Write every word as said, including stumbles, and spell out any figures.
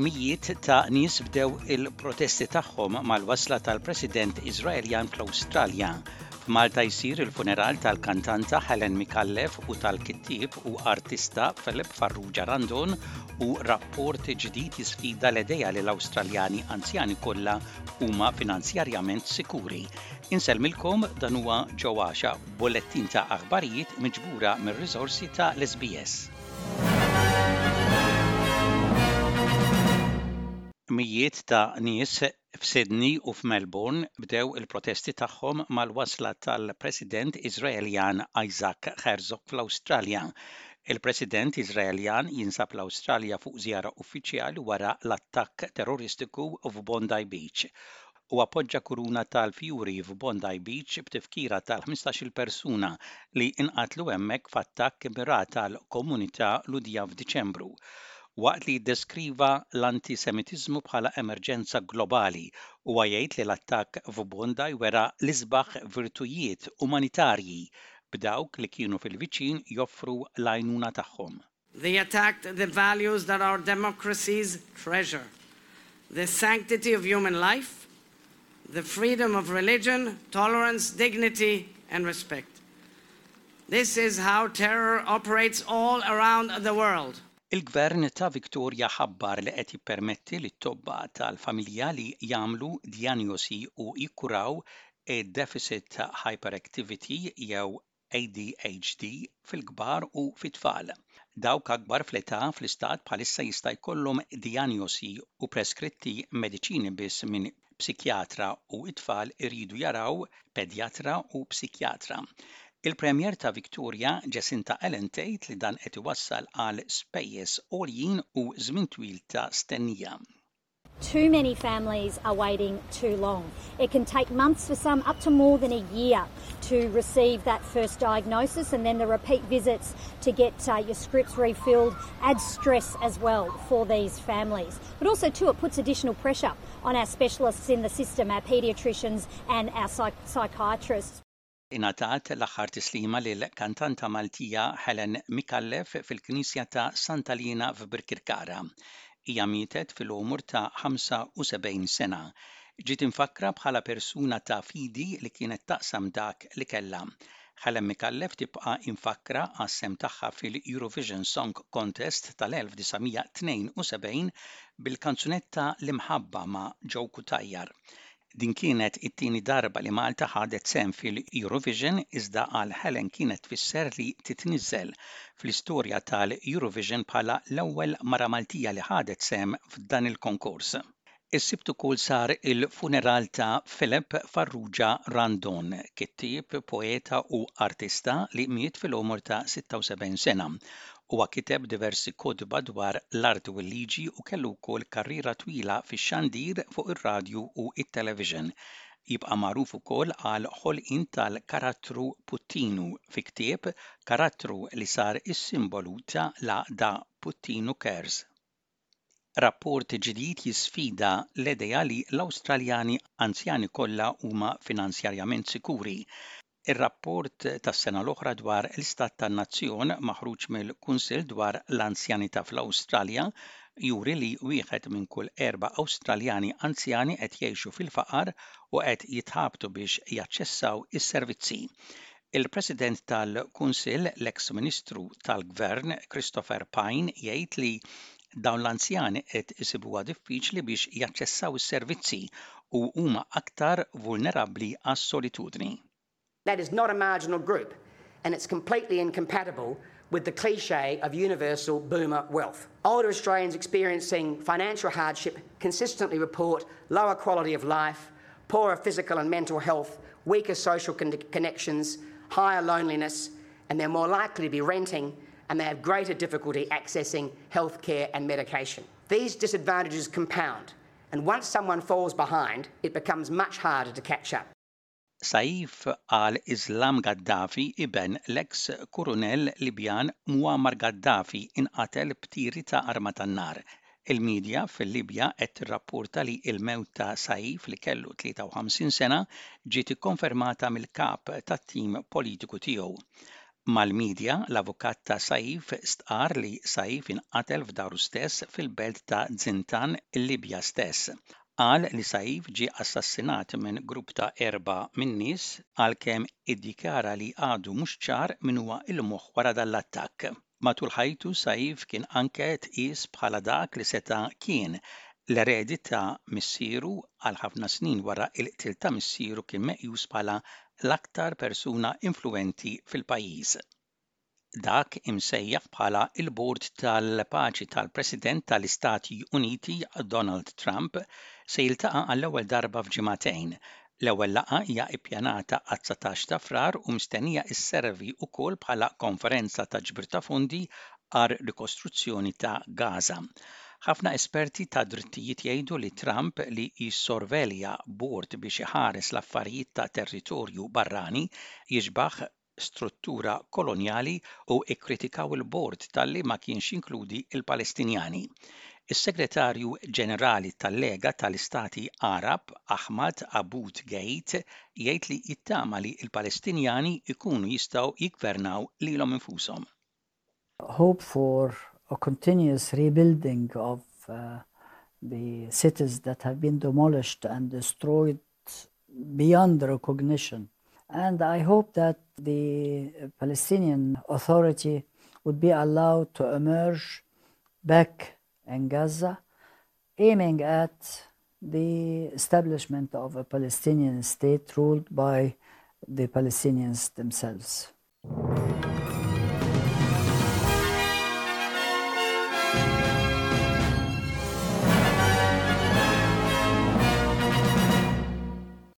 Mijiet ta' nies bdew il-protesti tagħhom mal-wasla tal-President Iżraeljan fl-Awstralja. F'Malta jsir il-funeral tal-kantanta Helen Micallef u tal-kittieb u artista Philip Farrugia Randon u rapport ġdid jisfida l-idea li l-Awstraljani anzjani kollha huma finanzjarjament sikuri. Insellmilkom, dan huwa ġewwaxa bullettin ta' aħbarijiet miġbura mir-riżorsi ta' l-S B S. Mijiet ta' nies f'Sydney u f'Melbourne bdew il-protesti tagħhom mal-wasla tal-President Iżraeljan Isaac Herzog fl-Awstralja. Il-President Iżraeljan jinsab l-Awstralja fuq żjara uffiċjali wara l-attakk terroristiku f'Bondi Beach u appoġġa kuruna tal-fjuri f'Bondi Beach b'tifkira tal-ħmistax-il persuna li inqatlu hemmhekk f'attakk immirat għal komunità Lhudija f'Diċembru. Waqt li jiddeskriva l-antisemitiżmu bħala emerġenza globali, huwa jgħid li l-attakk f'Bondi wera l-isbaħ virtujiet umanitarji, b'dawk li kienu fil-viċin joffru l-għajnuna tagħhom. They attacked the values that our democracies treasure: the sanctity of human life, the freedom of religion, tolerance, dignity, and respect. This is how terror operates all around the world. Il-gvern ta' Victoria ħabbar li qed jippermetti li t-tobba tal-familja li jagħmlu diagnosi u jikkuraw deficit hyperactivity jew A D H D fil-kbar u fit-tfal. Dawk akbar fl-età fl-istat bħalissa jista' jkollhom diagnosi u preskritti mediċini biss minn psikjatra u it-tfal iridu jaraw pedjatra u psikjatra. Il-Premier ta' Victoria Jacinta Allan tgħid li dan qed iwassal għal spejjeż għoljin u żmien twil ta' stennija. Too many families are waiting too long. It can take months for some, up to more than a year, to receive that first diagnosis, and then the repeat visits to get uh, your scripts refilled adds stress as well for these families. But also, too, it puts additional pressure on our specialists in the system, our paediatricians and our psych- psychiatrists. Ingħatat l-aħħar tislima lil kantanta Maltija Helen Micallef fil-Knisja ta' Santa Lina f'Birkirkara. Hija mietet fil-umur ta' ħamsa u sebgħin sena. Ġiet imfakra bħala persuna ta' fidi li kienet taqsam dak li kellha. Helen Micallef tibqa' imfakra għas-sehem tagħha fil-Eurovision Song Contest tal-elf disa' mija tnejn u sebgħin bil-kanzunetta L-Imħabba ma' Joe Cutajar. Din kienet it-tieni darba li Malta ħadet sehem fil-Eurovision, iżda għal Helen kienet tfisser li titniżel fl-istorja tal-Eurovision bħala l-ewwel mara Maltija li ħadet sehem f'dan il-konkors. Is-Sibt ukoll sar il-funeral ta' Philip Farrugia Randon, kittieb, poeta u artista li miet fil-umur ta' sitta u sebgħin sena. Huwa kiteb diversi kotba dwar l-arti u l-liġi u kellu wkoll karriera twila fix-xandir fuq ir-radju u it-television. Jibqa' magħruf ukoll għal ħolqien tal-karattru Puttinu fi ktieb, karattru li sar is-simbolu ta' l-għaqda Puttinu Cares. Rapport ġdid jisfida l-idea li l-Awstraljani anzjani kollha huma finanzjarjament sikuri. Ir-rapport tas-sena l-oħra dwar l-istat tan-nazzjon maħruġ mill-Kunsill dwar l-Anzjanità fl-Awstralja juri li wieħed minn kull erba' Awstraljani anzjani qed jgħixu fil-faqar u qed jitħabtu biex jaċċessaw is-servizzi. Il-President tal-Kunsill, l-ex Ministru tal-Gvern Christopher Pyne, jgħid li dawn l-anzjani qed isibuha diffiċli biex jaċċessaw is-servizzi u huma aktar vulnerabbli għas-solitudni. That is not a marginal group, and it's completely incompatible with the cliche of universal boomer wealth. Older Australians experiencing financial hardship consistently report lower quality of life, poorer physical and mental health, weaker social con- connections, higher loneliness, and they're more likely to be renting and they have greater difficulty accessing healthcare and medication. These disadvantages compound, and once someone falls behind, it becomes much harder to catch up. Saif al-Islam Gaddafi, iben l-eks kurunell Libjan Muammar Gaddafi, inqatel b'tiri ta' arma tan-nar. Il-medja fil-Libja qed tirrapporta li l-mewt ta' Saif, li kellu tlieta u ħamsin sena, ġiet ikkonfermata mill-kap tat-tim politiku tiegħu. Mal-medja, l-avukat ta' Saif stqar li Saif inqatel f'daru stess fil-belt ta' Zintan, il-Libja stess. Qal li Saif ġie assassinat minn grupp ta' erba' min-nies, għalkemm iddikjara li għadu mhux ċar min huwa il-moħħ wara dan l-attakk. Matul ħajtu, Saif kien anke tqis bħala dak li seta' kien l-eredi ta' missieru. Għal ħafna snin wara il-qtil ta' missieru kien meqjus bħala l-aktar persuna influenti fil-pajjiż. Dak imsejjaħ bħala il-Bord tal-Paċi tal-President tal-Istati Uniti Donald Trump se jiltaqa' għall-ewwel darba f'ġimagħtejn. L-ewwel laqgħa hija ppjanata għat-dsatax ta' Frar u mistennija isservi wkoll bħala konferenza ta' ġbir ta' fondi għar rikostruzzjoni ta' Gaza. Ħafna esperti ta' drittijiet jgħidu li Trump li jissorvelja bord biex iħares l-affarijiet ta' territorju barrani jixbaħ struttura kolonjali u ikkritikaw il-bord talli ma kienx inkludi il-Palestinjani. Is-Segretarju Ġenerali tal-Lega tal-Istati Arab, Ahmad Aboul Gheit, jgħid li jittama li l-Palestinjani ikunu jistgħu jiggvernaw lilhom infushom. Hope for a continuous rebuilding of uh, the cities that have been demolished and destroyed beyond recognition. And I hope that the Palestinian Authority would be allowed to emerge back in Gaza, aiming at the establishment of a Palestinian state ruled by the Palestinians themselves.